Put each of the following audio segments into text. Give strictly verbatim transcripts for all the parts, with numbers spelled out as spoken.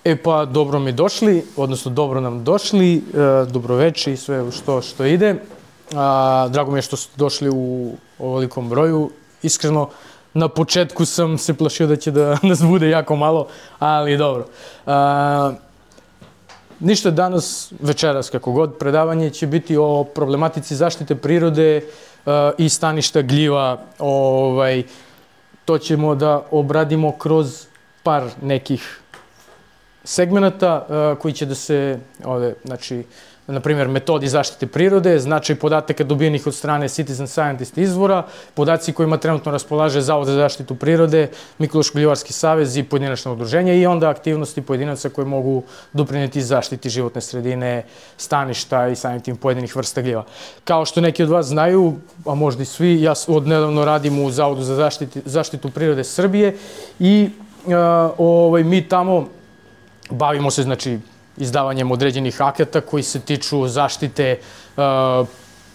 E pa, dobro mi došli, odnosno dobro nam došli, e, dobroveče i sve što, što ide. A, drago mi je što ste došli u ovolikom broju. Iskreno, na početku sam se plašio da će da nas bude jako malo, ali dobro. A, ništa danas, večeras kako god, predavanje će biti o problematici zaštite prirode a, i staništa gljiva. Ovaj, to ćemo da obradimo kroz par nekih segmenata uh, koji će da se, ovde, znači, na primjer, metodi zaštite prirode, značaj podataka dobijenih od strane Citizen Scientist izvora, podaci kojima trenutno raspolaže Zavod za zaštitu prirode, Mikološko-gljivarski savez i pojedinačna udruženja i onda aktivnosti pojedinaca koje mogu doprineti zaštiti životne sredine, staništa i samim tim pojedinih vrsta gljiva. Kao što neki od vas znaju, a možda i svi, ja odnedavno radim u Zavodu za zaštitu, zaštitu prirode Srbije i uh, ovaj, mi tamo bavimo se, znači, izdavanjem određenih akata koji se tiču zaštite uh,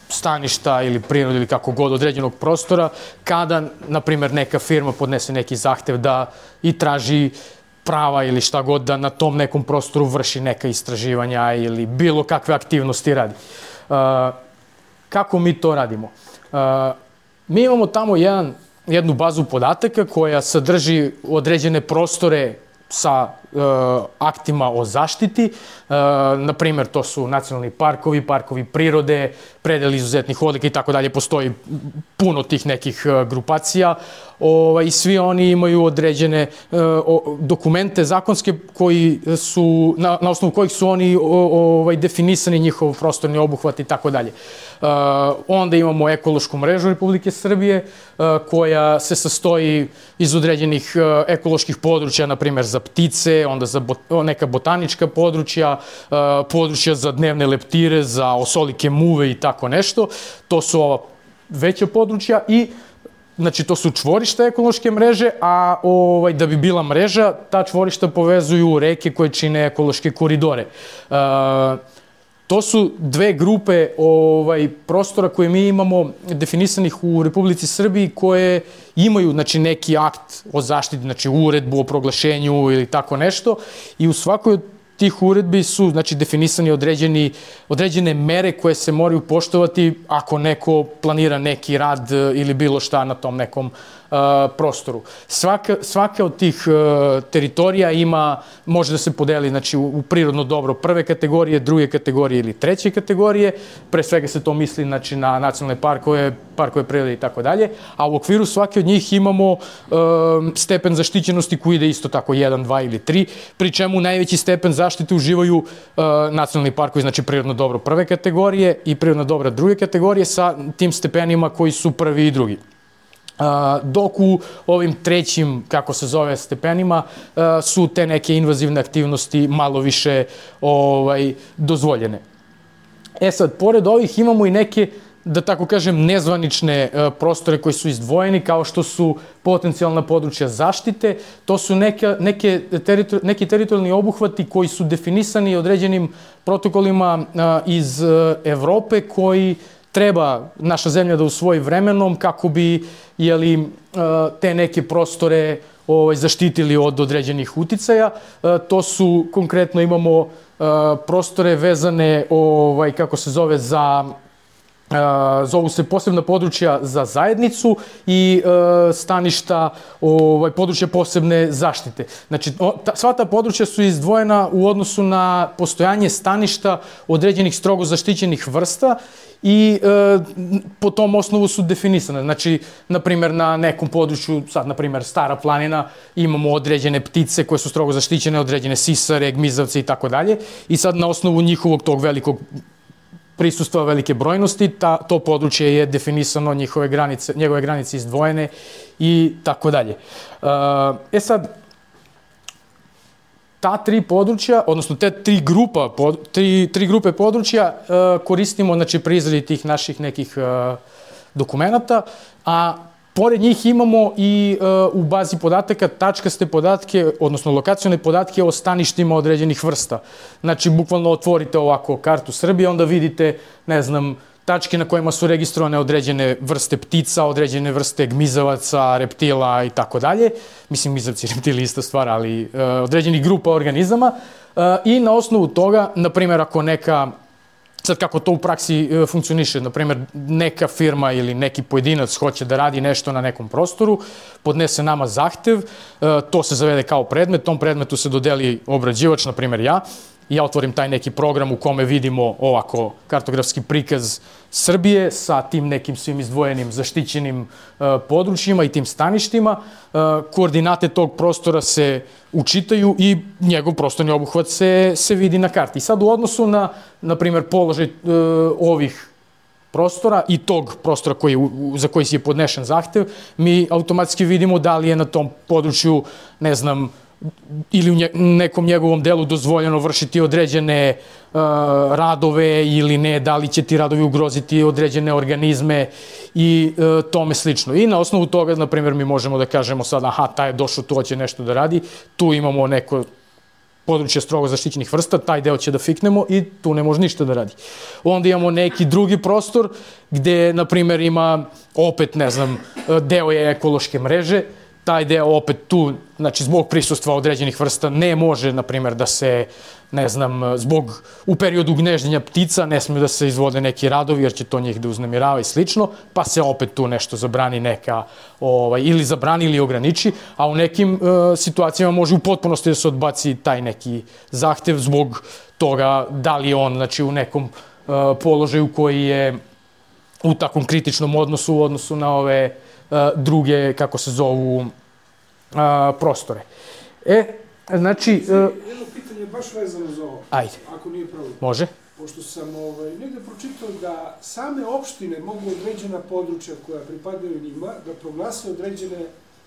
staništa ili prirode ili kako god određenog prostora, kada, na primjer, neka firma podnese neki zahtev da i traži prava ili šta god da na tom nekom prostoru vrši neka istraživanja ili bilo kakve aktivnosti radi. Uh, kako mi to radimo? Uh, mi imamo tamo jedan, jednu bazu podataka koja sadrži određene prostore sa e, aktima o zaštiti. E, na primjer, to su nacionalni parkovi, parkovi prirode, predeli izuzetnih odlika i tako dalje. Postoji puno tih nekih e, grupacija. O, i svi oni imaju određene e, o, dokumente zakonske koji su, na, na osnovu kojih su oni o, o, definisani njihov prostorni obuhvat i tako dalje. Onda imamo ekološku mrežu Republike Srbije uh, koja se sastoji iz određenih uh, ekoloških područja, na primjer za ptice, onda za bot, neka botanička područja, uh, područja za dnevne leptire, za osolike muve i tako nešto. To su ova veća područja i znači, to su čvorišta ekološke mreže, a ovaj, da bi bila mreža, ta čvorišta povezuju reke koje čine ekološke koridore. Uh, To su dve grupe ovaj, prostora koje mi imamo definisanih u Republici Srbiji koje imaju, znači, neki akt o zaštiti, znači uredbu o proglašenju ili tako nešto i u svakoj od tih uredbi su, znači, definisani određeni, određene mere koje se moraju poštovati ako neko planira neki rad ili bilo šta na tom nekom uh, prostoru. Svaka, svaka od tih uh, teritorija ima, može da se podeli, znači, u, u prirodno dobro prve kategorije, druge kategorije ili treće kategorije. Pre svega se to misli, znači, na nacionalne parkove, parkove prirode i tako dalje, a u okviru svake od njih imamo uh, stepen zaštićenosti koji ide isto tako jedan, dva ili tri, pri čemu najveći stepen zaštite uživaju uh, nacionalni parkovi, znači prirodno dobro prve kategorije i prirodno dobra druge kategorije sa tim stepenima koji su prvi i drugi. Uh, dok u ovim trećim, kako se zove, stepenima uh, su te neke invazivne aktivnosti malo više ovaj, dozvoljene. E sad, pored ovih imamo i neke, da tako kažem, nezvanične uh, prostore koji su izdvojeni, kao što su potencijalna područja zaštite. To su neke, neke teritor, neki teritorijalni obuhvati koji su definisani određenim protokolima uh, iz uh, Evrope koji treba naša zemlja da usvoji vremenom kako bi, jeli, uh, te neke prostore ovaj, zaštitili od određenih uticaja. Uh, to su, konkretno imamo uh, prostore vezane, ovaj, kako se zove, za Uh, zovu se posebna područja za zajednicu i uh, staništa, ovaj, područja posebne zaštite. Znači, o, ta, sva ta područja su izdvojena u odnosu na postojanje staništa određenih strogo zaštićenih vrsta i uh, po tom osnovu su definisane. Znači, na primjer, na nekom području, sad, na primjer, Stara planina, imamo određene ptice koje su strogo zaštićene, određene sisare, gmizavce i tako dalje. I sad, na osnovu njihovog tog velikog prisustva velike brojnosti, ta, to područje je definisano, njihove granice, njegove granice izdvojene i tako dalje. E sad, ta tri područja, odnosno te tri, grupa, tri, tri grupe područja koristimo, znači, pri izradi tih naših nekih dokumenata, a pored njih imamo i uh, u bazi podataka tačkaste podatke, odnosno lokacione podatke o staništima određenih vrsta. Znači, bukvalno otvorite ovako kartu Srbije, onda vidite, ne znam, tačke na kojima su registrovane određene vrste ptica, određene vrste gmizavaca, reptila i tako dalje. Mislim, gmizavci i reptili ista stvar, ali uh, određenih grupa organizama. Uh, I na osnovu toga, na primjer, ako neka, sad kako to u praksi uh, funkcioniše, na primjer, neka firma ili neki pojedinac hoće da radi nešto na nekom prostoru, podnese nama zahtev, uh, to se zavede kao predmet, tom predmetu se dodeli obrađivač, na primjer ja, ja otvorim taj neki program u kome vidimo ovako kartografski prikaz Srbije sa tim nekim svim izdvojenim zaštićenim uh, područjima i tim staništima. Uh, koordinate tog prostora se učitaju i njegov prostorni obuhvat se, se vidi na karti. I sad u odnosu na, na primjer, položaj uh, ovih prostora i tog prostora koji, za koji je podnešen zahtev, mi automatski vidimo da li je na tom području, ne znam, ili u nekom njegovom delu dozvoljeno vršiti određene uh, radove ili ne, da li će ti radovi ugroziti određene organizme i uh, tome slično. I na osnovu toga, na primjer, mi možemo da kažemo sad, aha, taj je došao, tu hoće nešto da radi, tu imamo neko područje strogo zaštićenih vrsta, taj deo će da fiknemo i tu ne može ništa da radi. Onda imamo neki drugi prostor gde, na primjer, ima opet, ne znam, deo je ekološke mreže, taj deo opet tu, znači zbog prisustva određenih vrsta ne može, na primjer, da se, ne znam, zbog u periodu gnežđenja ptica ne smiju da se izvode neki radovi jer će to njih da uznemirava i slično, pa se opet tu nešto zabrani neka, ovaj, ili zabrani ili ograniči, a u nekim uh, situacijama može u potpunosti da se odbaci taj neki zahtev zbog toga da li je on, znači, u nekom uh, položaju koji je u takvom kritičnom odnosu u odnosu na ove uh, druge, kako se zovu, uh, prostore. E, znači... Uh, jedno pitanje baš vezano za ovo. Ajde. Ako nije problem. Može. Pošto sam ovaj, negde pročitao da same opštine mogu određena područja koja pripadaju njima da proglase određene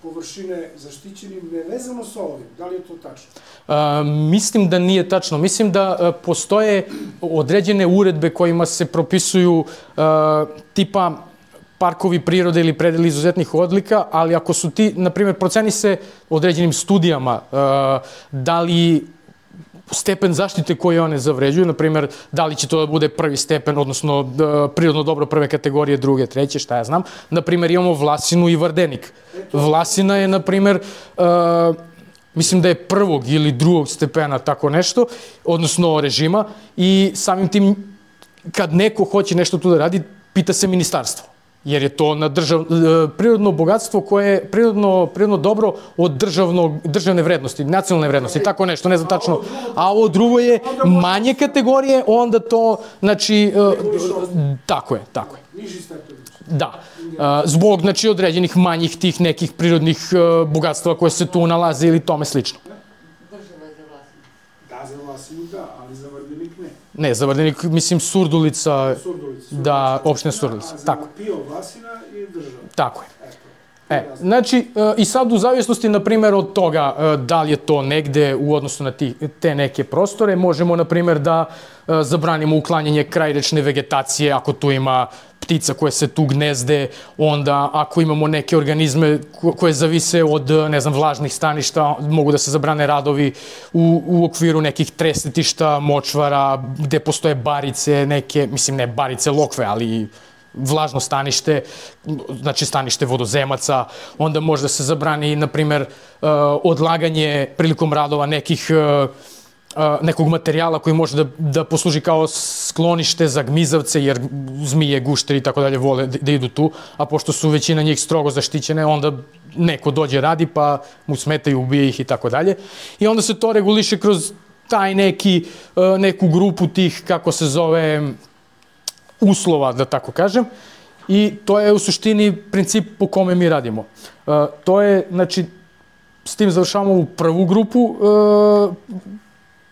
površine zaštićenim nevezano sa ovim. Da li je to tačno? Uh, mislim da nije tačno. Mislim da uh, postoje određene uredbe kojima se propisuju uh, tipa parkovi prirode ili predeli izuzetnih odlika, ali ako su ti, na primjer, proceni se određenim studijama uh, da li stepen zaštite koje one zavređuju, na primjer, da li će to da bude prvi stepen, odnosno prirodno dobro prve kategorije, druge, treće, šta ja znam. Na primjer, imamo Vlasinu i Vardenik. Vlasina je, na primjer, uh, mislim da je prvog ili drugog stepena, tako nešto, odnosno režima, i samim tim, kad neko hoće nešto tu da radi, pita se ministarstvo. Jer je to na držav, prirodno bogatstvo koje je prirodno, prirodno dobro od državnog, državne vrednosti, nacionalne vrednosti, tako nešto, ne znam tačno. A ovo drugo je manje kategorije, onda to, znači, tako je, tako je. Niži stepen. Da. Zbog, znači, određenih manjih tih nekih prirodnih bogatstva koje se tu nalaze ili tome slično. Da, za Vlasinu da, ali za Vardenik ne. Ne, za Vardenik, mislim, Surdulica, Surdulica. Da, opština Surdulica, tako. A za Pio Vlasina je država. Tako je. E, znači, i sad u zavisnosti, na primjer, od toga da li je to negde u odnosu na te neke prostore, možemo, na primjer, da zabranimo uklanjanje krajrečne vegetacije, ako tu ima ptica koje se tu gnezde, onda ako imamo neke organizme koje zavise od, ne znam, vlažnih staništa, mogu da se zabrane radovi u, u okviru nekih tresetišta, močvara, gde postoje barice, neke, mislim, ne barice, lokve, ali vlažno stanište, znači stanište vodozemaca, onda može da se zabrani, na primjer, odlaganje prilikom radova nekih nekog materijala koji može da, da posluži kao sklonište za gmizavce, jer zmije, gušteri i tako dalje vole da, da idu tu, a pošto su većina njih strogo zaštićene, onda neko dođe radi pa mu smetaju, ubije ih i tako dalje. I onda se to reguliše kroz taj neki, neku grupu tih, kako se zove, uslova, da tako kažem, i to je u suštini princip po kome mi radimo. Uh, to je, znači, s tim završavamo u prvu grupu, uh,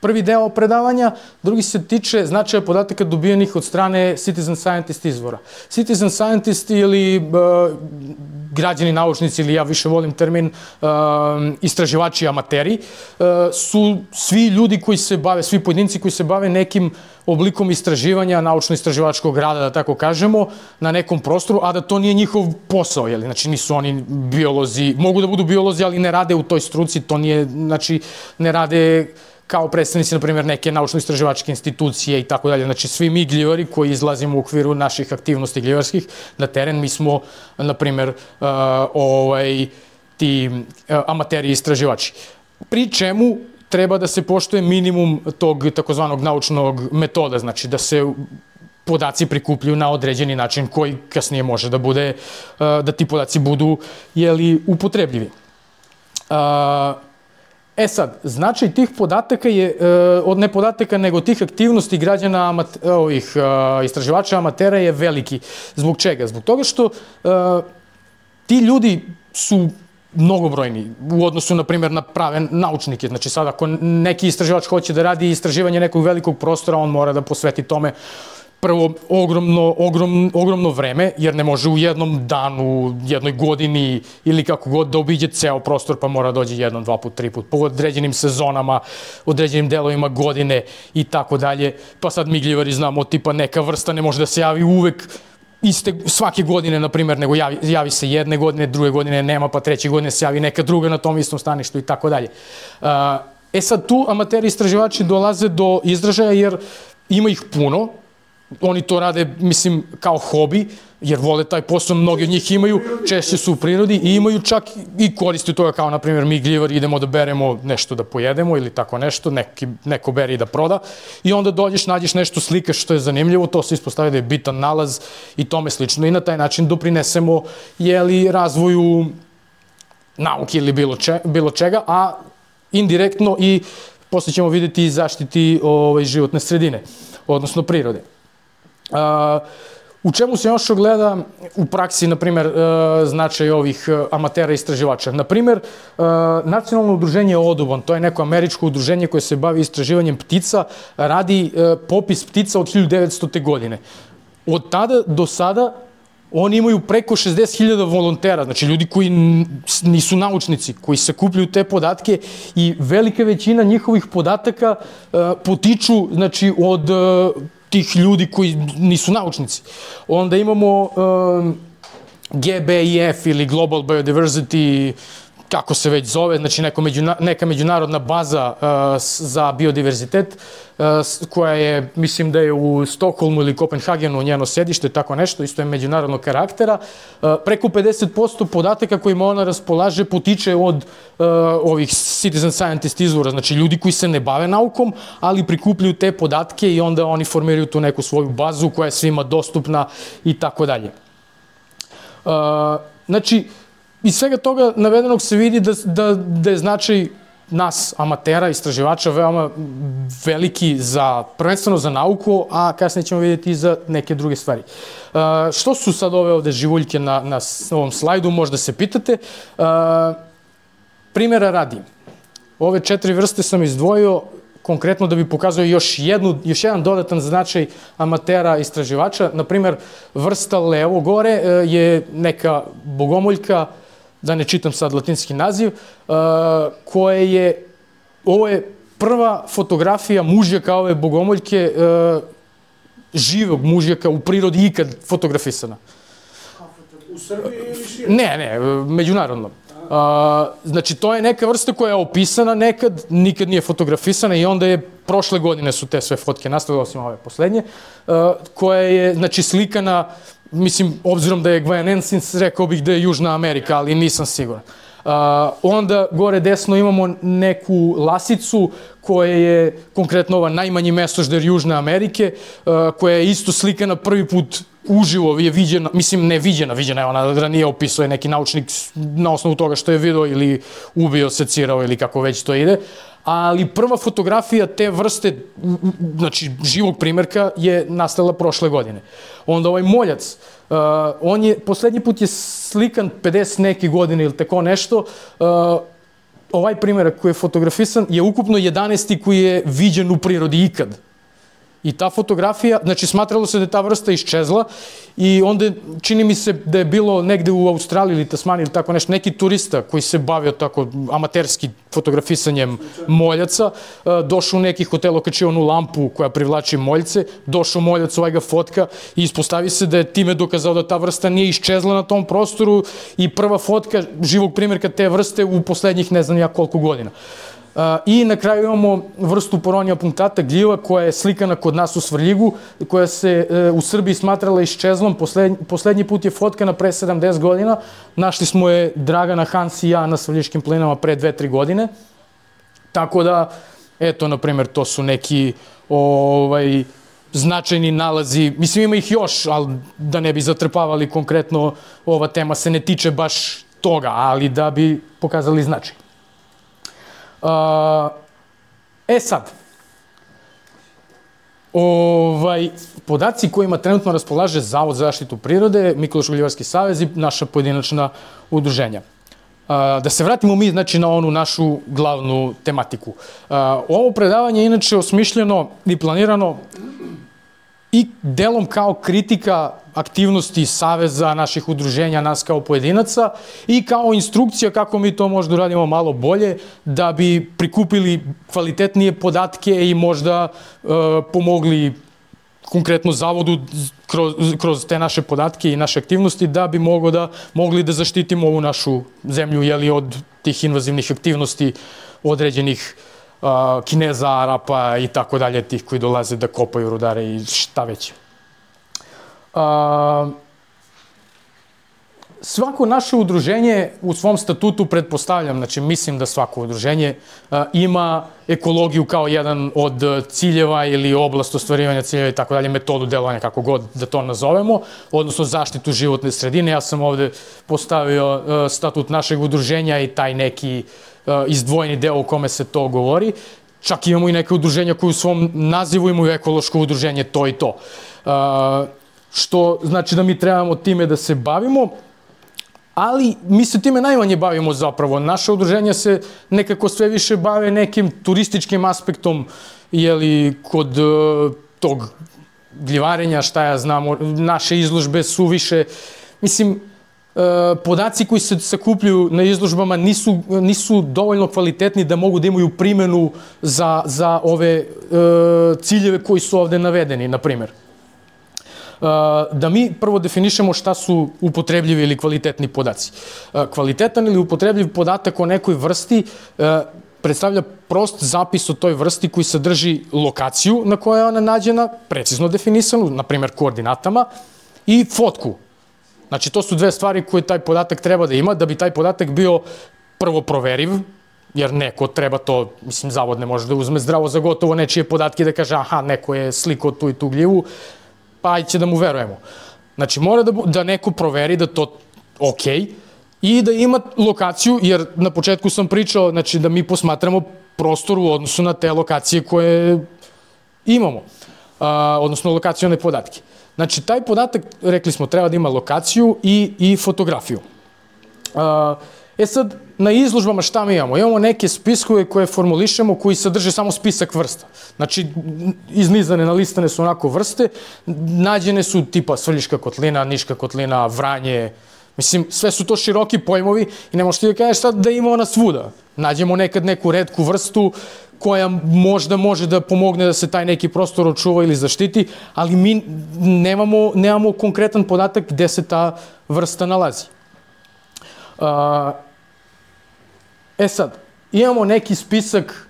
prvi deo predavanja, drugi se tiče značaja podataka dobijenih od strane citizen scientist izvora. Citizen scientist ili uh, građani naučnici, ili ja više volim termin uh, istraživači amateri, uh, su svi ljudi koji se bave, svi pojedinci koji se bave nekim oblikom istraživanja, naučno-istraživačkog rada, da tako kažemo, na nekom prostoru, a da to nije njihov posao, jel? Znači nisu oni biolozi, mogu da budu biolozi, ali ne rade u toj struci, to nije, znači ne rade kao predstavnici, na primjer, neke naučno-istraživačke institucije i tako dalje. Znači, svi mi gljivari koji izlazimo u okviru naših aktivnosti gljivarskih na teren, mi smo, na primjer, uh, ovaj, ti uh, amateri istraživači. Pri čemu treba da se poštuje minimum tog takozvanog naučnog metoda, znači da se podaci prikupljaju na određeni način koji kasnije može da bude, da ti podaci budu, jeli, upotrebljivi. E sad, značaj tih podataka je, od ne podataka, nego tih aktivnosti građana, ovih istraživača amatera je veliki. Zbog čega? Zbog toga što ti ljudi su mnogobrojni u odnosu, na primjer, na prave naučnike. Znači sad, ako neki istraživač hoće da radi istraživanje nekog velikog prostora, on mora da posveti tome prvo ogromno, ogrom, ogromno vreme, jer ne može u jednom danu, jednoj godini ili kako god da obiđe ceo prostor, pa mora dođe jednom, dva put, tri put, po određenim sezonama, određenim delovima godine i tako dalje. Pa sad mi gljivari znamo, tipa neka vrsta ne može da se javi uvek iste svake godine, na primjer, nego javi, javi se jedne godine, druge godine nema, pa treće godine se javi neka druga na tom istom staništu i tako dalje. E sad, tu amateri istraživači dolaze do izražaja jer ima ih puno, oni to rade, mislim, kao hobi, jer vole taj posao, mnogi od njih imaju, češće su u prirodi i imaju čak i koristi toga, kao, na primjer, mi gljivari idemo da beremo nešto da pojedemo ili tako nešto, neki, neko bere i da proda i onda dođeš, nađeš nešto, slikaš što je zanimljivo, to se ispostavi da je bitan nalaz i tome slično i na taj način doprinesemo, jeli, razvoju nauke ili bilo, če, bilo čega, a indirektno i posle ćemo vidjeti i zaštiti ovaj, životne sredine, odnosno prirode. Uh, u čemu se još ogleda u praksi, na primjer, uh, značaj ovih uh, amatera istraživača? Na primjer, uh, Nacionalno udruženje Audubon, to je neko američko udruženje koje se bavi istraživanjem ptica, radi uh, popis ptica od hiljadu devetstote. godine. Od tada do sada oni imaju preko šezdeset hiljada volontera, znači ljudi koji nisu naučnici, koji sakupljaju te podatke i velika većina njihovih podataka uh, potiču, znači, od uh, tih ljudi koji nisu naučnici. Onda imamo um, G B I F ili Global Biodiversity, kako se već zove, znači neko međuna, neka međunarodna baza uh, za biodiverzitet, uh, koja je, mislim da je u Stokholmu ili Kopenhagenu njeno sedište, tako nešto, isto je međunarodnog karaktera. Uh, preko pedeset posto podataka kojima ona raspolaže potiče od uh, ovih citizen scientist izvora, znači ljudi koji se ne bave naukom, ali prikupljaju te podatke i onda oni formiraju tu neku svoju bazu koja je svima dostupna i tako dalje. Uh, znači, iz svega toga navedenog se vidi da, da, da je značaj nas, amatera, istraživača, veoma veliki za, prvenstveno za nauku, a kasnije ćemo vidjeti i za neke druge stvari. Uh, što su sad ove ovde živuljke na, na ovom slajdu, možda se pitate. Uh, primjera radi. Ove četiri vrste sam izdvojio konkretno da bi pokazao još, jednu, još jedan dodatan značaj amatera istraživača. Naprimjer, vrsta levo gore je neka bogomoljka, da ne čitam sad latinski naziv, koje je, ovo je prva fotografija mužjaka ove bogomoljke, živog mužjaka u prirodi ikad fotografisana. U Srbiji ili šire? Ne, ne, međunarodno. Uh, znači, to je neka vrsta koja je opisana nekad, nikad nije fotografisana i onda je, prošle godine su te sve fotke nastale, osim ove poslednje, uh, koja je, znači, slikana, mislim, obzirom da je Guayanensis, rekao bih da je Južna Amerika, ali nisam siguran. Uh, onda gore desno imamo neku lasicu koja je konkretno ova najmanji mesožder Južne Amerike, uh, koja je isto slikana prvi put uživo, je viđena, mislim ne viđena, viđena je ona ranije opisuje neki naučnik na osnovu toga što je video ili ubio, secirao ili kako već to ide, ali prva fotografija te vrste, znači živog primjerka, je nastala prošle godine. Onda ovaj moljac, uh, on je, poslednji put je slikan pedeset neke godine ili tako nešto, uh, ovaj primjerak koji je fotografisan je ukupno jedanaesti koji je viđen u prirodi ikad. I ta fotografija, znači smatralo se da je ta vrsta iščezla i onda čini mi se da je bilo negde u Australiji ili Tasmaniji ili tako nešto, neki turista koji se bavio tako amaterski fotografisanjem moljaca, došao u neki hotel, okačio onu lampu koja privlači moljce, došao moljac, ovaj ga fotka i ispostavi se da je time dokazao da ta vrsta nije iščezla na tom prostoru i prva fotka živog primjerka te vrste u poslednjih ne znam ja koliko godina. I na kraju imamo vrstu Poronia punctata, gljiva koja je slikana kod nas u Svrljigu, koja se u Srbiji smatrala iščezlom. Poslednji put je fotkana pre sedamdeset godina. Našli smo je Dragana, Hans i ja na Svrljiškim plinama pre dve tri godine. Tako da, eto, na primjer, to su neki ovaj, značajni nalazi. Mislim, ima ih još, ali da ne bi zatrpavali konkretno, ova tema se ne tiče baš toga, ali da bi pokazali značaj. Uh, e sad, ovaj, podaci kojima trenutno raspolaže Zavod za zaštitu prirode, Mikološko-gljivarski savez i naša pojedinačna udruženja. Uh, da se vratimo mi, znači, na onu našu glavnu tematiku. Uh, ovo predavanje je inače osmišljeno i planirano i delom kao kritika aktivnosti saveza, naših udruženja, nas kao pojedinaca i kao instrukcija kako mi to možda uradimo malo bolje da bi prikupili kvalitetnije podatke i možda e, pomogli konkretno zavodu kroz, kroz te naše podatke i naše aktivnosti da bi mogo da, mogli da zaštitimo ovu našu zemlju, jeli, od tih invazivnih aktivnosti određenih Uh, Kineza, Arapa i tako dalje, tih koji dolaze da kopaju rudare i šta već. Uh, svako naše udruženje u svom statutu, pretpostavljam, znači mislim da svako udruženje uh, ima ekologiju kao jedan od ciljeva ili oblast ostvarivanja ciljeva i tako dalje, metodu delovanja, kako god da to nazovemo, odnosno zaštitu životne sredine. Ja sam ovde postavio uh, statut našeg udruženja i taj neki izdvojeni deo u kome se to govori. Čak imamo i neke udruženja koje u svom nazivu imaju ekološko udruženje, to i to. Što znači da mi trebamo time da se bavimo, ali mi se time najmanje bavimo zapravo. Naše udruženja se nekako sve više bave nekim turističkim aspektom, jeli, kod tog gljivarenja, šta ja znam, naše izložbe su više, mislim, podaci koji se sakupljaju na izložbama nisu, nisu dovoljno kvalitetni da mogu da imaju primenu za, za ove e, ciljeve koji su ovde navedeni, na primjer. E, da mi prvo definišemo šta su upotrebljivi ili kvalitetni podaci. E, kvalitetan ili upotrebljiv podatak o nekoj vrsti e, predstavlja prost zapis o toj vrsti koji sadrži lokaciju na kojoj je ona nađena, precizno definisanu, na primjer koordinatama, i fotku. Znači, to su dve stvari koje taj podatak treba da ima, da bi taj podatak bio prvo proveriv, jer neko treba to, mislim, zavod ne može da uzme zdravo za gotovo nečije podatke da kaže aha, neko je slikao tu i tu gljivu, pa će da mu verujemo. Znači, mora da, da neko proveri da to ok i da ima lokaciju, jer na početku sam pričao, znači, da mi posmatramo prostor u odnosu na te lokacije koje imamo, a, odnosno lokacione podatke. Znači, taj podatak, rekli smo, treba da ima lokaciju i, i fotografiju. E sad, na izložbama šta mi imamo? Imamo neke spiskove koje formulišemo koji sadrže samo spisak vrsta. Znači, iznizane, nalistane su onako vrste, nađene su tipa Svrljiška kotlina, Niška kotlina, Vranje, mislim, sve su to široki pojmovi i ne možeš ti da kažeš sad da ima ona svuda. Nađemo nekad neku retku vrstu koja možda može da pomogne da se taj neki prostor očuva ili zaštiti, ali mi nemamo, nemamo konkretan podatak gde se ta vrsta nalazi. E sad, imamo neki spisak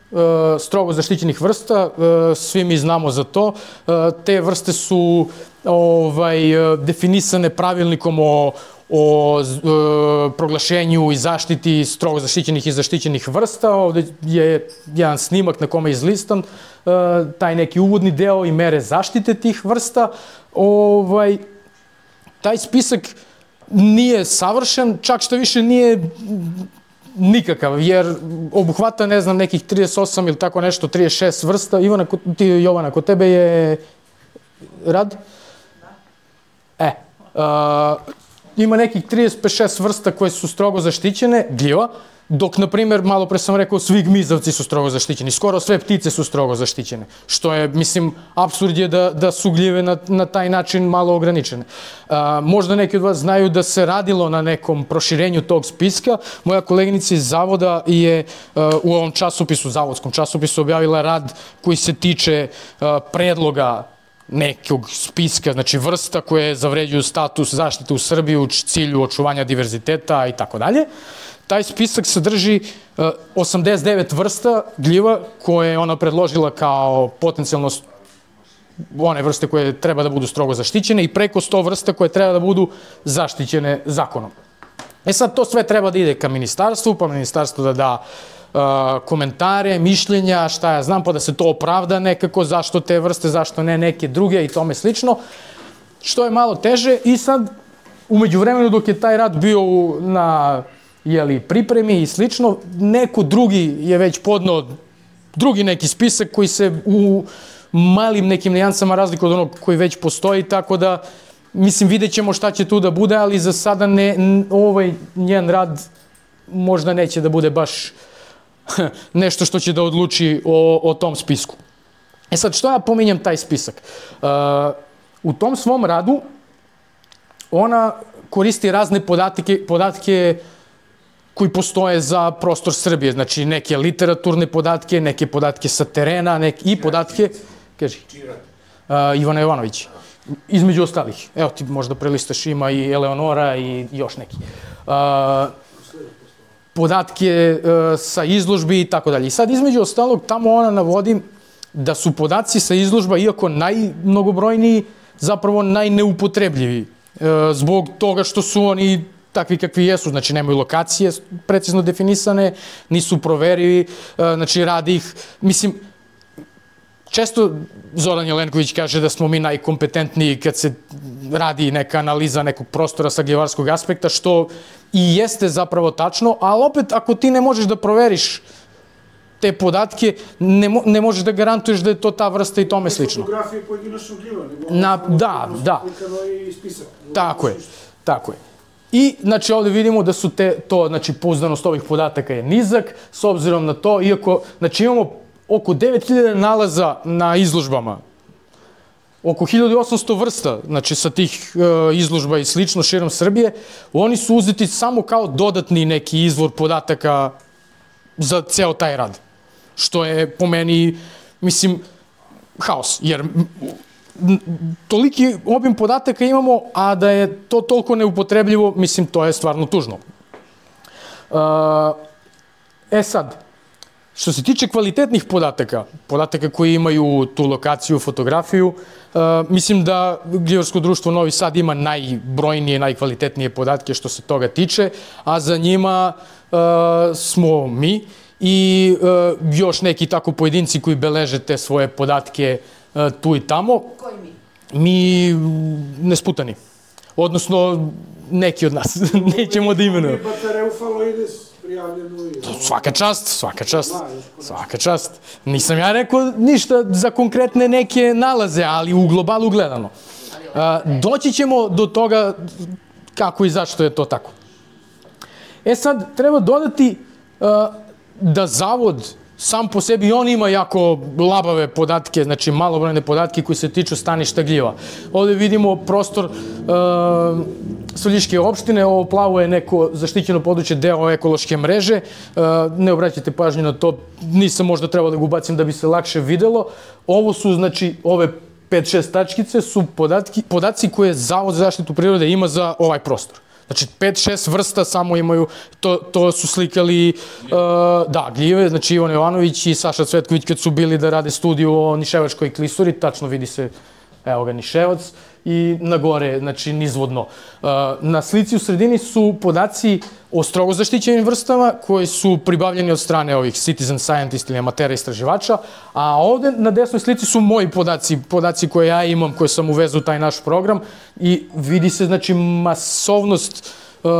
strogo zaštićenih vrsta, svi mi znamo za to. Te vrste su ovaj, definisane pravilnikom o o e, proglašenju i zaštiti strogo zaštićenih i zaštićenih vrsta. Ovde je jedan snimak na kome je izlistan e, taj neki uvodni deo i mere zaštite tih vrsta. Ovaj, taj spisak nije savršen, čak što više nije nikakav, jer obuhvata, ne znam, nekih trideset osam ili tako nešto, trideset šest vrsta. Ivana, ti, Jovana, kod tebe je rad? Da. E, a, ima nekih trideset pet šest vrsta koje su strogo zaštićene, gljiva, dok, na primjer, malo pre sam rekao, svi gmizavci su strogo zaštićeni, skoro sve ptice su strogo zaštićene, što je, mislim, apsurd je da, da su gljive na, na taj način malo ograničene. A, možda neki od vas znaju da se radilo na nekom proširenju tog spiska. Moja koleginica iz zavoda je a, u ovom časopisu, zavodskom časopisu, objavila rad koji se tiče a, predloga nekog spiska, znači vrsta koje zavređuju status zaštite u Srbiji u cilju očuvanja diverziteta i tako dalje. Taj spisak sadrži osamdeset devet vrsta gljiva koje je ona predložila kao potencijalno one vrste koje treba da budu strogo zaštićene i preko sto vrsta koje treba da budu zaštićene zakonom. E sad, to sve treba da ide ka ministarstvu, pa ministarstvo da da uh, komentare, mišljenja, šta ja znam, pa da se to opravda nekako, zašto te vrste, zašto ne neke druge i tome slično, što je malo teže. I sad, umeđu vremenu dok je taj rad bio na jeli, pripremi i slično, neko drugi je već podnao drugi neki spisak koji se u malim nekim nijansama razliku od onog koji već postoji, tako da, mislim, vidjet ćemo šta će tu da bude, ali za sada ne, ovaj njen rad možda neće da bude baš nešto što će da odluči o, o tom spisku. E sad, što ja pominjem taj spisak? Uh, u tom svom radu ona koristi razne podatke, podatke koji postoje za prostor Srbije, znači neke literaturne podatke, neke podatke sa terena, neke, i podatke... Kaži. Uh, Ivana Jovanović. Između ostalih. Evo ti možda prelistaš, ima i Eleonora i još neki. Uh, podatke uh, sa izložbi i tako dalje. I sad između ostalog tamo ona navodi da su podaci sa izložba, iako najmnogobrojniji, zapravo najneupotrebljiviji. Uh, zbog toga što su oni takvi kakvi jesu, znači nemaju lokacije precizno definisane, nisu proverivi, uh, znači radi ih, mislim, često Zoran Jelenković kaže da smo mi najkompetentniji kad se radi neka analiza nekog prostora sa gljivarskog aspekta, što i jeste zapravo tačno, ali opet ako ti ne možeš da proveriš te podatke, ne, mo, ne možeš da garantuješ da je to ta vrsta i tome slično. Fotografije pojedinačnog gljiva, nego Na, da, da. I spisak. Tako je, tako je. I, znači, ovde vidimo da su te, to, znači, pouzdanost ovih podataka je nizak, s obzirom na to, iako, znači, imamo oko devet hiljada nalaza na izložbama, oko hiljadu osamsto vrsta, znači sa tih e, izložba i slično širom Srbije, oni su uzeti samo kao dodatni neki izvor podataka za ceo taj rad. Što je po meni, mislim, haos, jer toliki obim podataka imamo, a da je to toliko neupotrebljivo, mislim, to je stvarno tužno. E sad, što se tiče kvalitetnih podataka, podataka koji imaju tu lokaciju, fotografiju, uh, mislim da Gljivarsko društvo Novi Sad ima najbrojnije, najkvalitetnije podatke što se toga tiče, a za njima uh, smo mi i uh, još neki tako pojedinci koji beleže te svoje podatke uh, tu i tamo. Koji mi? Mi nesputani. Odnosno, neki od nas. Nećemo da imenujemo. Svaka čast, svaka čast, svaka čast. Nisam ja rekao ništa za konkretne neke nalaze, ali u globalu gledano. Doći ćemo do toga kako i zašto je to tako. E sad, treba dodati da zavod sam po sebi, on ima jako labave podatke, znači malobrojne podatke koji se tiču staništa gljiva. Ovde vidimo prostor uh, Svrljiške opštine, ovo plavo je neko zaštićeno područje, deo ekološke mreže, uh, ne obraćajte pažnju na to, nisam možda trebao da ga ubacim da bi se lakše videlo. Ovo su, znači, ove pet šest tačkice su podatki, podaci koje Zavod za zaštitu prirode ima za ovaj prostor. Znači, pet šest vrsta samo imaju, to, to su slikali, uh, da, gljive, znači Ivan Jovanović i Saša Cvetković kad su bili da rade studiju o Niševačkoj klisuri, tačno vidi se, evo ga, Niševac, i na gore, znači, nizvodno. Uh, na slici u sredini su podaci o strogo zaštićenim vrstama koji su pribavljeni od strane ovih citizen scientist ili amatera istraživača, a ovde na desnoj slici su moji podaci, podaci koje ja imam, koje sam uvezao u taj naš program i vidi se, znači, masovnost uh,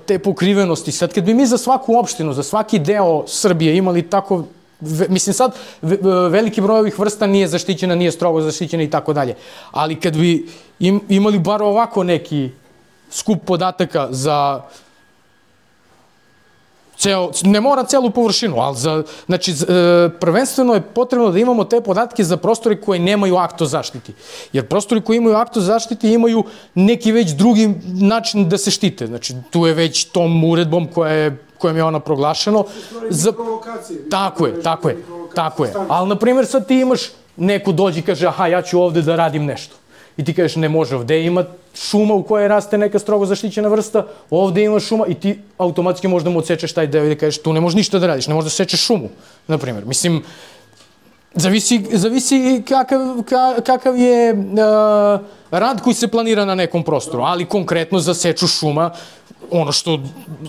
te pokrivenosti. Sad, kad bi mi za svaku opštinu, za svaki deo Srbije imali tako, ve, mislim sad, ve, veliki broj ovih vrsta nije zaštićena, nije strogo zaštićena i tako dalje, ali kad bi im, imali bar ovako neki skup podataka za ceo, ne mora celu površinu, ali za, znači, e, prvenstveno je potrebno da imamo te podatke za prostore koje nemaju akt o zaštiti. Jer prostori koji imaju akt o zaštiti imaju neki već drugi način da se štite. Znači, tu je već tom uredbom koja je, kojom je ona proglašeno. Za... Tako je, tako je, tako je. Ali, na primjer, sad ti imaš neko dođe i kaže, aha, ja ću ovde da radim nešto. I ti kažeš, ne može, ovde ima šuma u kojoj raste neka strogo zaštićena vrsta, ovde ima šuma i ti automatski možda mu odsečeš taj deo i da kažeš, tu ne možeš ništa da radiš, ne možeš da sečeš šumu, na primjer. Mislim, zavisi, zavisi kakav, ka, kakav je uh, rad koji se planira na nekom prostoru, ali konkretno za seču šuma, ono što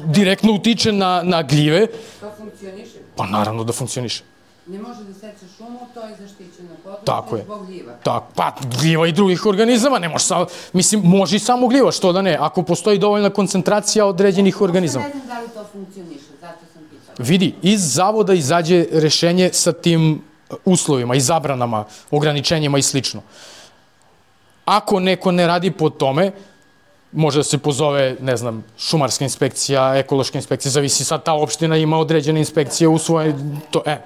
direktno utiče na, na gljive. To funkcioniše? Pa naravno da funkcioniše. Ne može da seče šumu, to je zaštićeno Tako područje je. zbog gljiva. Tak, pa gljiva i drugih organizama, ne može samo, mislim, može i samo gljiva, što da ne, ako postoji dovoljna koncentracija određenih organizama. Ne znam da li to funkcioniše, zato sam pitala. Vidi, iz zavoda izađe rešenje sa tim uslovima i zabranama, ograničenjima i slično. Ako neko ne radi po tome, može da se pozove, ne znam, šumarska inspekcija, ekološka inspekcija, zavisi sad ta opština ima određene inspekcije u svoje, to, e,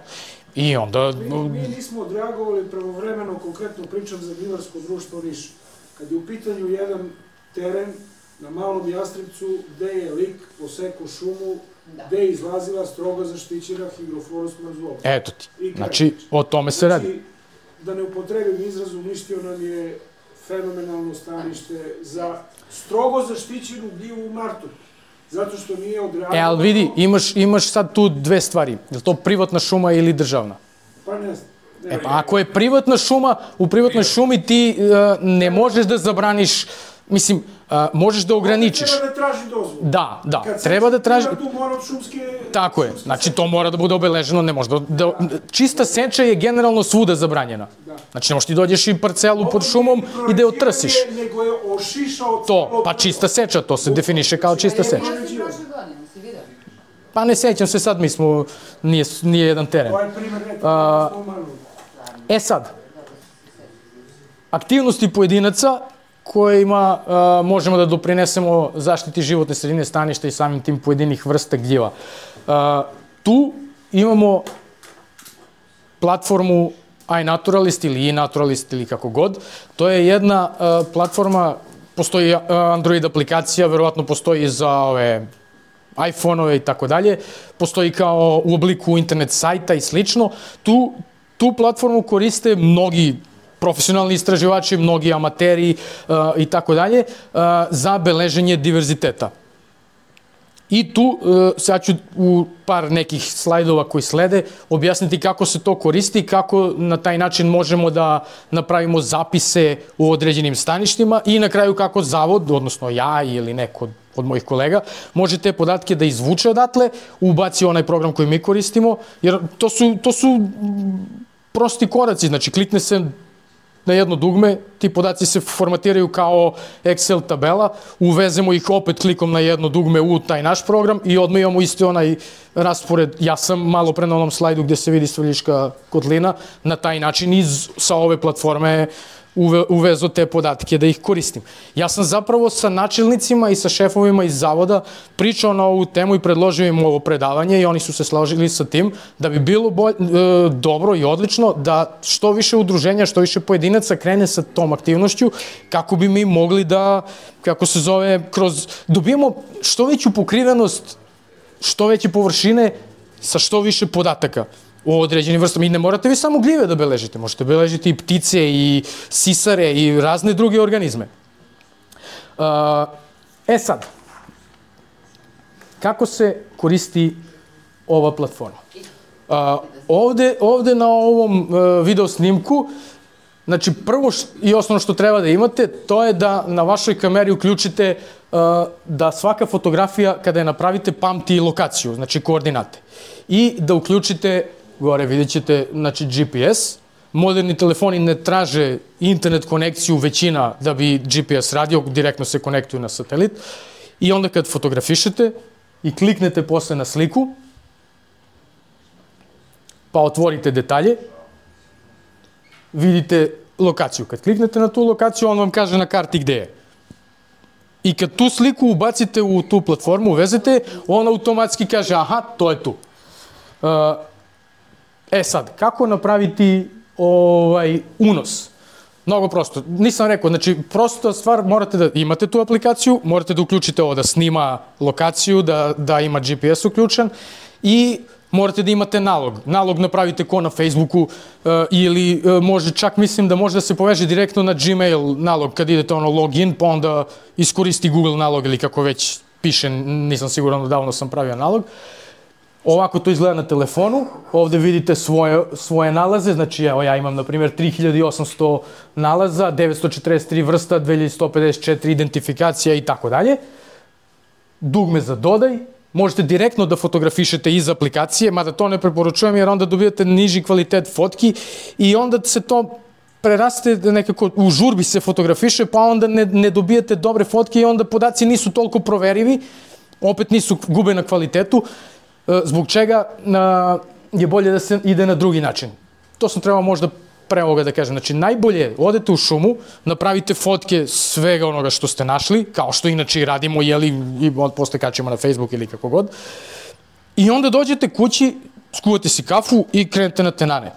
i onda... Mi, mi nismo odreagovali pravovremeno, konkretno pričam za gljivarsko društvo Niš. Kad je u pitanju jedan teren na Malom Jastrepcu gde je lik posekao šumu, Da. gde je izlazila strogo zaštićena higroflorosna zona. Eto ti, I kraj. znači, o tome se radi. Znači, da ne upotrebim izraz, uništio nam je fenomenalno stanište za strogo zaštićenu gljivu u martu. Zato što nije odreagovano... E, ali vidi, imaš, imaš sad tu dve stvari. Je li to privatna šuma ili državna? Pa ne znam. Ne, E pa ako je privatna šuma, u privatnoj šumi ti uh, ne možeš da zabraniš, mislim, uh, možeš da ograničiš. Treba da traži dozvolu. Da, da, Kad treba da traži... Tu mora od šumske... Tako je, znači to mora da bude obeleženo, ne može da... da čista seča je generalno svuda zabranjena. Znači ne možeš ti dođeš i parcelu pod šumom i da je otrsiš. Nego je ošišao... To, pa čista seča, to se definiše kao čista seča. Ja sam prošle godine, si vidio? Pa ne sećam se sad, mi smo, nije, nije jedan teren. To je primjer, ne, A, to je E sad, aktivnosti pojedinaca kojima uh, možemo da doprinesemo zaštiti životne sredine, staništa i samim tim pojedinih vrsta gljiva. Uh, tu imamo platformu iNaturalist ili iNaturalist ili kako god. To je jedna uh, platforma, postoji uh, Android aplikacija, verovatno postoji za ove iPhone-ove i tako dalje, postoji kao u obliku internet sajta i slično. Tu, tu platformu koriste mnogi profesionalni istraživači, mnogi amateri uh, i tako dalje uh, za beleženje diverziteta. I tu uh, sad ću u par nekih slajdova koji slede objasniti kako se to koristi, kako na taj način možemo da napravimo zapise u određenim staništima i na kraju kako zavod, odnosno ja ili neko od, od mojih kolega, može te podatke da izvuče odatle, ubaci onaj program koji mi koristimo, jer to su, to su prosti koraci, znači klikne se na jedno dugme, ti podaci se formatiraju kao Excel tabela, uvezemo ih opet klikom na jedno dugme u taj naš program i odmah imamo isti onaj raspored. Ja sam malo pre na onom slajdu gde se vidi Svrljiška kotlina, na taj način iz, sa ove platforme uve, uvezo te podatke da ih koristim. Ja sam zapravo sa načelnicima i sa šefovima iz zavoda pričao na ovu temu i predložio im ovo predavanje i oni su se složili sa tim da bi bilo bolj, e, dobro i odlično da što više udruženja, što više pojedinaca krene sa tom aktivnošću kako bi mi mogli da, kako se zove, kroz, dobijemo što veću pokrivenost, što veće površine sa što više podataka o određenim vrstama. I ne morate vi samo gljive da beležite, možete beležiti i ptice i sisare i razne druge organizme. Uh, e sad, kako se koristi ova platforma? Uh, ovde, ovde na ovom uh, video snimku, znači prvo š, i osnovno što treba da imate, to je da na vašoj kameri uključite uh, da svaka fotografija kada je napravite pamti lokaciju, znači koordinate. I da uključite, gore vidjet ćete, znači G P S. Moderni telefoni ne traže internet konekciju većina da bi G P S radio, direktno se konektuju na satelit. I onda kad fotografišete i kliknete posle na sliku, pa otvorite detalje, vidite lokaciju. Kad kliknete na tu lokaciju, on vam kaže na karti gde je. I kad tu sliku ubacite u tu platformu, uvezete, on automatski kaže, aha, to je tu. Uh, e sad, kako napraviti ovaj unos? Mnogo prosto. Nisam rekao, znači, prosta stvar, morate da imate tu aplikaciju, morate da uključite ovo da snima lokaciju, da, da ima G P S uključen i morate da imate nalog. Nalog napravite ko na Facebooku uh, ili uh, može, čak mislim da može da se poveže direktno na Gmail nalog kad idete ono login, pa onda iskoristi Google nalog ili kako već piše, nisam siguran, davno sam pravio nalog. Ovako to izgleda na telefonu, ovde vidite svoje, svoje nalaze, znači evo ja imam na primjer tri hiljade osamsto nalaza, devetsto četrdeset tri vrsta, dve hiljade sto pedeset četiri identifikacija i tako dalje. Dugme za dodaj, možete direktno da fotografišete iz aplikacije, mada to ne preporučujem jer onda dobijate niži kvalitet fotki i onda se to preraste nekako, u žurbi se fotografiše, pa onda ne, ne dobijate dobre fotke i onda podaci nisu toliko proverivi, opet nisu, gube na kvalitetu, zbog čega je bolje da se ide na drugi način. To sam trebao možda pre ovoga da kažem. Znači, najbolje odete u šumu, napravite fotke svega onoga što ste našli, kao što inače i radimo, jeli, i posle kačemo na Facebook ili kako god. I onda dođete kući, skuvate si kafu i krenete na tenane.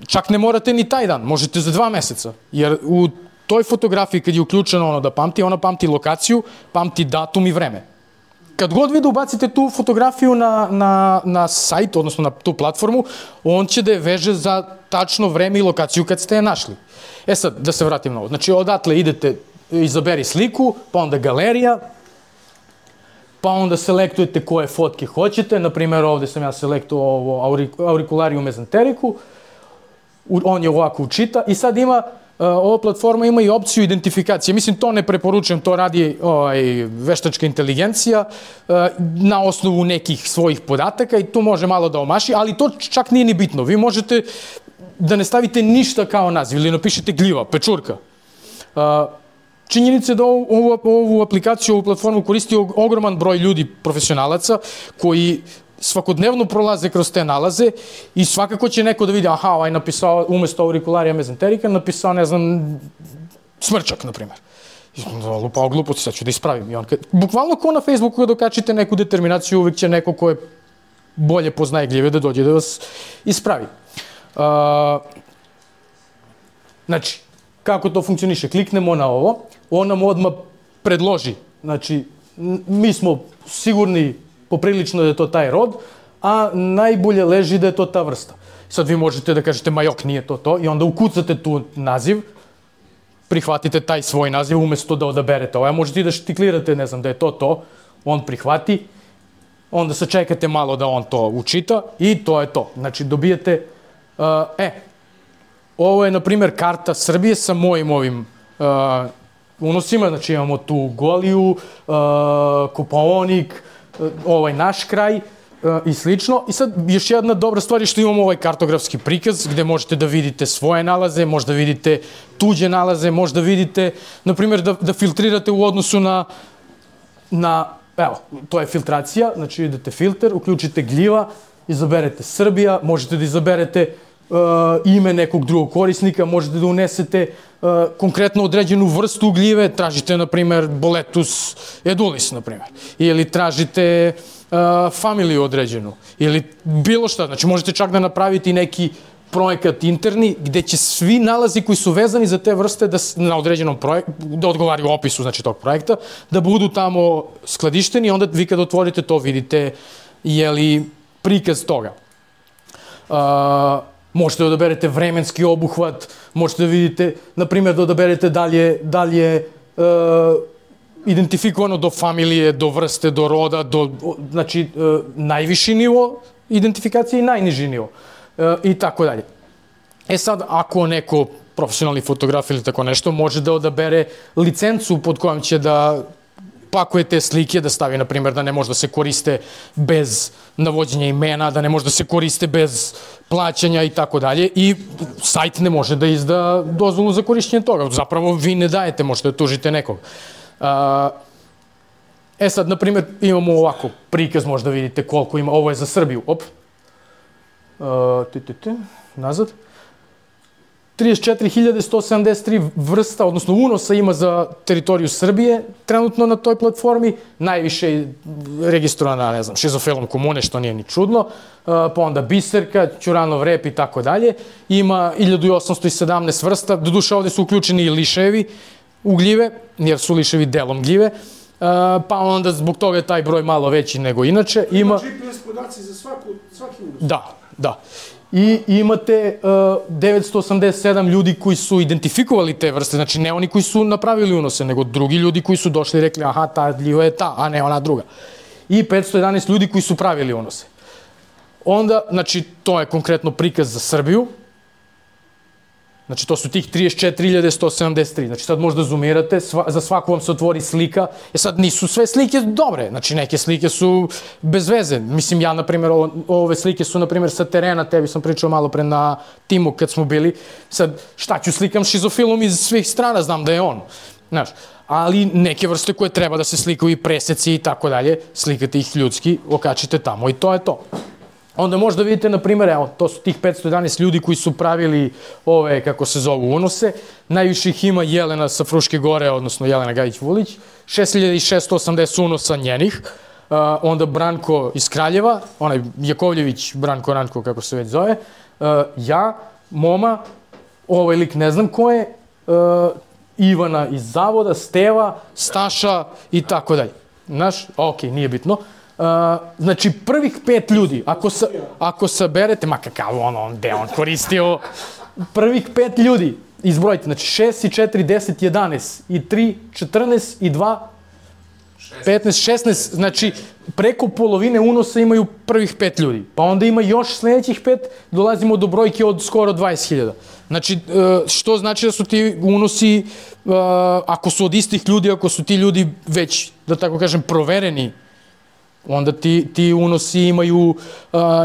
Čak ne morate ni taj dan, možete za dva meseca, jer u toj fotografiji kad je uključeno ono da pamti, ona pamti lokaciju, pamti datum i vreme. Kad god vi da ubacite tu fotografiju na, na, na sajt, odnosno na tu platformu, on će da je veže za tačno vreme i lokaciju kad ste je našli. E sad, da se vratim na ovo. Znači, odatle idete, izaberi sliku, pa onda galerija, pa onda selektujete koje fotke hoćete. Naprimjer, ovde sam ja selektuo ovo auricularium mesentericu, on je ovako učita i sad ima, ova platforma ima i opciju identifikacije. Mislim, to ne preporučujem, to radi ovaj, veštačka inteligencija na osnovu nekih svojih podataka i tu može malo da omaši, ali to čak nije ni bitno. Vi možete da ne stavite ništa kao naziv ili napišete gljiva, pečurka. Činjenica je da ovu, ovu aplikaciju, ovu platformu koristi ogroman broj ljudi, profesionalaca, koji svakodnevno prolaze kroz te nalaze i svakako će neko da vidi, aha, ovaj napisao, umesto auricularia mesenterica, napisao, ne znam, smrčak, na primjer. Lupao gluposti, sad ću da ispravim. I on, bukvalno ko na Facebooku kada dokačite neku determinaciju, uvijek će neko ko je bolje poznaje gljive da dođe da vas ispravi. Uh, znači, kako to funkcioniše? Kliknemo na ovo, on nam odmah predloži. Znači, mi smo sigurni poprilično da je to taj rod, a najbolje leži da je to ta vrsta. Sad vi možete da kažete, ma jok, nije to to, i onda ukucate tu naziv, prihvatite taj svoj naziv umesto da odaberete ovo. Možete i da štiklirate, ne znam, da je to to, on prihvati, onda se čekate malo da on to učita i to je to. Znači, dobijete, uh, e, ovo je, na primjer, karta Srbije sa mojim ovim uh, unosima, znači imamo tu Goliju, uh, Kopaonik, ovaj naš kraj uh, i slično. I sad još jedna dobra stvar je što imamo ovaj kartografski prikaz gde možete da vidite svoje nalaze, možda vidite tuđe nalaze, možda vidite, na primjer, da, da filtrirate u odnosu na, na, evo, to je filtracija, znači idete filter, uključite gljiva, izaberete Srbija, možete da izaberete uh, ime nekog drugog korisnika, možete da unesete uh, konkretno određenu vrstu gljive, tražite, na primjer, Boletus edulis, na primjer, ili tražite uh, familiju određenu, ili bilo šta, znači možete čak da napravite neki projekat interni, gde će svi nalazi koji su vezani za te vrste da, na određenom projektu, da odgovaraju opisu, znači, tog projekta, da budu tamo skladišteni, onda vi kad otvorite to vidite, jeli, prikaz toga. Uh, možete da odaberete vremenski obuhvat, možete da vidite, na primjer, da odaberete da li je, da li je uh, identifikovano do familije, do vrste, do roda, do, znači, uh, najviši nivo identifikacije i najniži nivo. Uh, I tako dalje. E sad, ako neko profesionalni fotograf ili tako nešto, može da odabere licencu pod kojom će da pakuje te slike, da stavi, na primjer, da ne može da se koriste bez navođenja imena, da ne može da se koriste bez plaćanja i tako dalje. I sajt ne može da izda dozvolu za korišćenje toga. Zapravo, vi ne dajete, možete da tužite nekog. Uh, e sad, na primjer, imamo ovako prikaz, možda vidite koliko ima, ovo je za Srbiju, op. Uh, ti, ti, ti, nazad. trideset četiri hiljade sto sedamdeset tri vrsta, odnosno unosa ima za teritoriju Srbije trenutno na toj platformi. Najviše je registrovana, ne znam, šizofilom komune, što nije ni čudno, uh, pa onda biserka, ćuranov rep i tako dalje. Ima hiljadu osamsto sedamnaest vrsta, doduše ovde su uključeni i liševi u gljive, jer su liševi delom gljive. Uh, pa onda zbog toga je taj broj malo veći nego inače. Ima G P S podatke podaci za svaku, svaki unos. Da, da. I imate uh, devetsto osamdeset sedam ljudi koji su identifikovali te vrste, znači ne oni koji su napravili unose, nego drugi ljudi koji su došli i rekli aha, ta gljiva je ta, a ne ona druga. I petsto jedanaest ljudi koji su pravili unose. Onda, znači, to je konkretno prikaz za Srbiju. Znači, to su tih trideset četiri hiljade sto sedamdeset tri. Znači, sad možda zoomirate, sva, za svaku vam se otvori slika. E sad, nisu sve slike dobre. Znači, neke slike su bez veze. Mislim, ja, na primjer, o, ove slike su, na primjer, sa terena, tebi sam pričao malo pre na timu kad smo bili. Sad, šta ću slikam šizofilom iz svih strana, znam da je on. Znaš, ali neke vrste koje treba da se slikaju i preseci i tako dalje, slikate ih ljudski, okačite tamo i to je to. Onda možda vidite, na primjer, evo, to su tih petsto jedanaest ljudi koji su pravili ove, kako se zovu, unose. Najviše ih ima Jelena sa Fruške gore, odnosno Jelena Gajić-Vulić. šest hiljada šeststo osamdeset unosa njenih. Uh, onda Branko iz Kraljeva, onaj Jakovljević, Branko Ranko, kako se već zove. Uh, ja, Moma, ovaj lik ne znam ko je, uh, Ivana iz Zavoda, Steva, Staša i tako dalje. Znaš, okej, nije bitno. Uh, znači, prvih pet ljudi, ako, sa, ako saberete, ma kakav ono, on, gde on koristio, prvih pet ljudi, izbrojite, znači šest i četiri, deset, jedanaest, i tri, četrnaest, i dva, petnaest, šesnaest, znači, preko polovine unosa imaju prvih pet ljudi. Pa onda ima još sledećih pet, dolazimo do brojke od skoro dvadeset hiljada. Znači, što znači da su ti unosi, ako su od istih ljudi, ako su ti ljudi već, da tako kažem, provereni, onda ti, ti unosi imaju uh,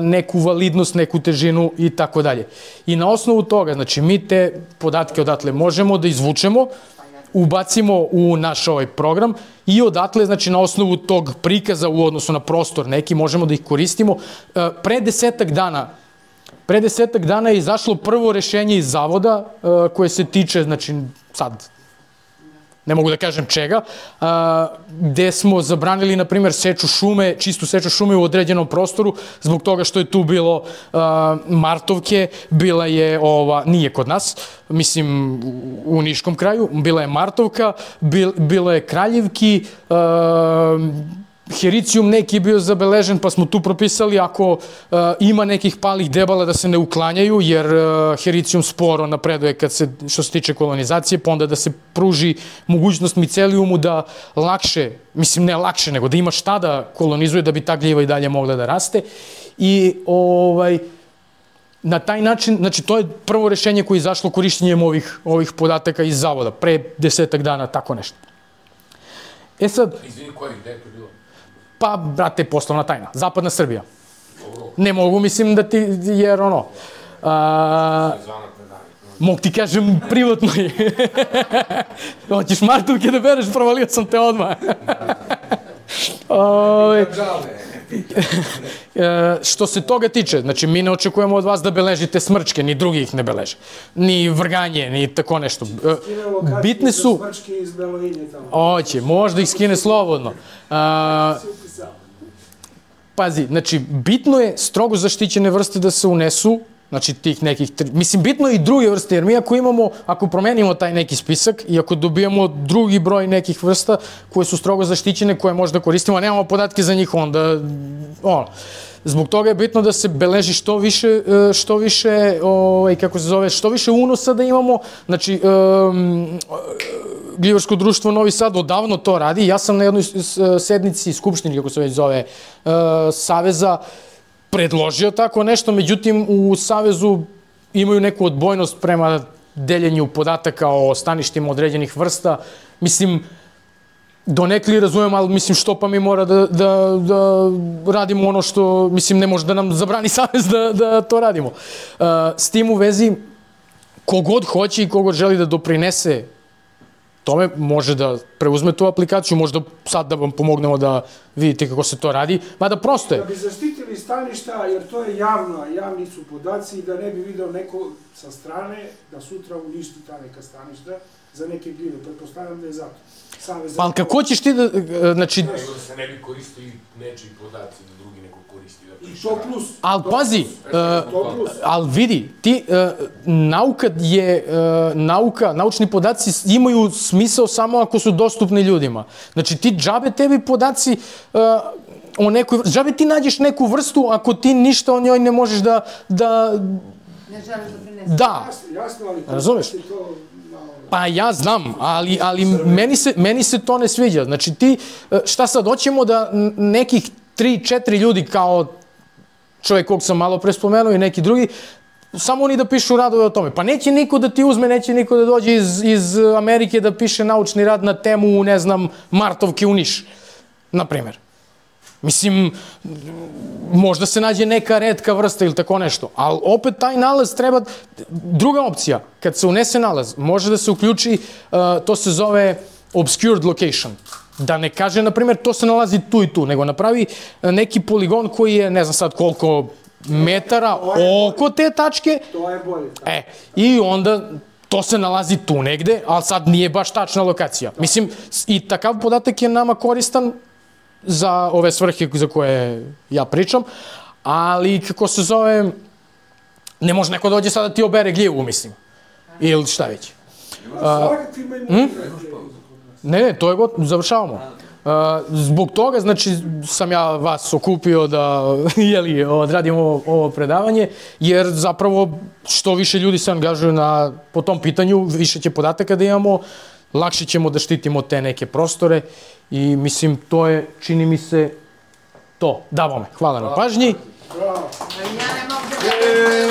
neku validnost, neku težinu i tako dalje. I na osnovu toga, znači, mi te podatke odatle možemo da izvučemo, ubacimo u naš ovaj program i odatle, znači, na osnovu tog prikaza u odnosu na prostor neki, možemo da ih koristimo. Uh, pre desetak dana Pre desetak dana je izašlo prvo rešenje iz Zavoda uh, koje se tiče, znači, sad, ne mogu da kažem čega, a, gde smo zabranili, na primjer, seču šume, čistu seču šume u određenom prostoru, zbog toga što je tu bilo a, Martovke, bila je, ova, nije kod nas, mislim, u, u Niškom kraju, bila je Martovka, bil, bilo je Kraljevki, a, Hericijum neki je bio zabeležen, pa smo tu propisali ako uh, ima nekih palih debala da se ne uklanjaju, jer uh, Hericijum sporo napreduje kad se, što se tiče kolonizacije, pa onda da se pruži mogućnost micelijumu da lakše, mislim ne lakše, nego da ima šta da kolonizuje, da bi ta gljiva i dalje mogla da raste. I ovaj, na taj način, znači to je prvo rešenje koje je izašlo korištenjem ovih, ovih podataka iz Zavoda, pre desetak dana, tako nešto. E sad... Izvini, koji, gde je to bilo? Pa, brate, poslovna tajna. Zapadna Srbija. Ne mogu, mislim da ti, jer ono... A, mogu ti kažem privatno. Hoćeš Martovke da bereš, provalio sam te odmah. Ove, e, što se toga tiče, znači mi ne očekujemo od vas da beležite smrčke, ni drugi ih ne beleže. Ni vrganje, ni tako nešto. E, bitne su... Smrčke iz Belovinje tamo. Oće, možda ih skine slobodno. A, pazi, znači, bitno je strogo zaštićene vrste da se unesu, znači tih nekih, mislim, bitno je i druge vrste, jer mi ako imamo, ako promenimo taj neki spisak i ako dobijamo drugi broj nekih vrsta koje su strogo zaštićene, koje možda koristimo, a nemamo podatke za njih, onda, ono, zbog toga je bitno da se beleži što više, što više, ovaj, kako se zove, što više unosa da imamo, znači, um, Gljivarsko društvo Novi Sad odavno to radi. Ja sam na jednoj sednici skupštini, kako se već zove, Saveza, predložio tako nešto, međutim u Savezu imaju neku odbojnost prema deljenju podataka o staništima određenih vrsta. Mislim, donekli razumem, ali mislim što pa mi mora da, da, da radimo ono što, mislim, ne može da nam zabrani Savez da, da to radimo. S tim u vezi, kogod hoće i kogod želi da doprinese tome, može da preuzme tu aplikaciju, možda sad da vam pomognemo da vidite kako se to radi, mada prosto je. Da bi zaštitili staništa, jer to je javno, a javni su podaci, i da ne bi video neko sa strane da sutra uništi ta neka staništa za neke gljive. Pretpostavljam da je zato. Pa ali kako ćeš ti da, znači... Nego da se ne bi koristili nečiji podaci da drugi neko koristi. I to plus. Ali pazi, To plus. ali vidi, ti, nauka je, nauka, naučni podaci imaju smisao samo ako su dostupni ljudima. Znači ti džabe tebi podaci, o nekoj, džabe ti nađeš neku vrstu ako ti ništa o njoj ne možeš da, da, Ne želiš da prinesi. da, Jasno, jasno, ali to Razumeš? je to malo... pa ja znam, ali, ali meni, se, meni se to ne sviđa. Znači ti, šta sad, hoćemo da n- nekih tri, četiri ljudi kao čovjek kog sam malo pre spomenuo i neki drugi, samo oni da pišu radove o tome. Pa neće niko da ti uzme, neće niko da dođe iz, iz Amerike da piše naučni rad na temu, ne znam, Martovke u Niš, na primjer. Mislim, možda se nađe neka retka vrsta ili tako nešto, ali opet taj nalaz treba... Druga opcija, kad se unese nalaz, može da se uključi, uh, to se zove obscured location. Da ne kaže, na primjer, to se nalazi tu i tu, nego napravi neki poligon koji je, ne znam sad koliko metara oko te tačke. To je bolje. E, i onda to se nalazi tu negde, ali sad nije baš tačna lokacija. Mislim, i takav podatak je nama koristan za ove svrhe za koje ja pričam, ali kako se zove, ne može neko dođe sad da ti obere gljivu, mislim. Ili šta već. Svakakvi imaju hm? igrače. Ne, ne, to je gotovo, završavamo. Uh, zbog toga, znači, sam ja vas okupio da, jeli, odradimo ovo, ovo predavanje, jer zapravo što više ljudi se angažuju na, po tom pitanju, više će podataka da imamo, lakše ćemo da štitimo te neke prostore i mislim, to je, čini mi se, to. Da, bome, hvala na pažnji. Bravo. Ja ne mogu da...